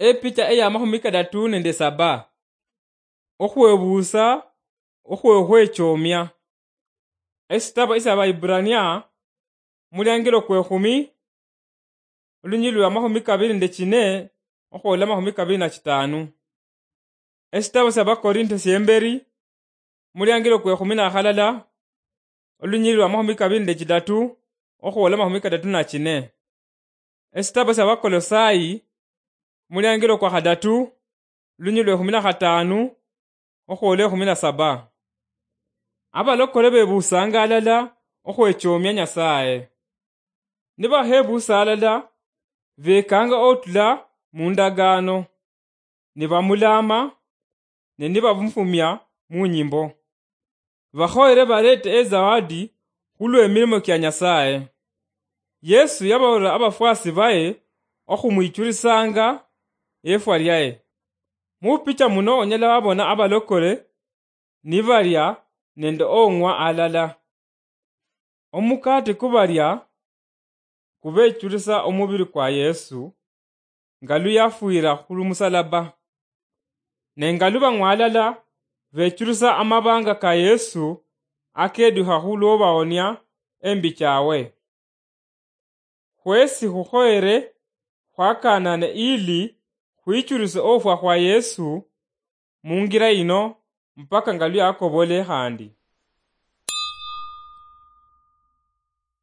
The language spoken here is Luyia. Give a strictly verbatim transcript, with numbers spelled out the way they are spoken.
Epicha eya mahumi kadatu nende saba. Okhwebuusa okhwokhwechomia. Esitabo esia Abahiburania, muliangilo kwekhumi, olunyili lwa mahumi kabili nende chine okhwola mahumi kabili na chitanu. Esitabo sia Bakorinto siemberi, muliangilo kwekhumi na khalala, olunyili lwa mahumi kabili nende chidatu okhwola mahumi kadatu na chine. Esitabo sia Bakolosai, muliangilo kwa khadatu, lunyili lwe khumi na khatanu okhwola ekhumi na saba. Abalokole bebuusanga alala okhwechomia Nyasaye. Nibakhebuusa alala, bekanga otula mu ndagaano, nibamulaama, ne nibamufumia mu nyimbo. Bakhoyere barete ezawadi khulw'emilimo kia Nyasaye. Yesu yababolera abafwasi baye okhumwichulisanga efwa lyaye. Mupicha muno onyala wabona abalokole nibalia nende ong'wa alala. Omukate kubalia kubechulisa omubiri kwa Yesu, nga luyafwira khulumusalaba. Ne nga lubang'wa alala, bechulisa amabanga ka Yesu akedukha khulwobahonia embi chawe. Khwesi khukhoyere khwakanane ili khwichulise ofwa khwa Yesu mungira yino mpaka nga luyakobole khandi.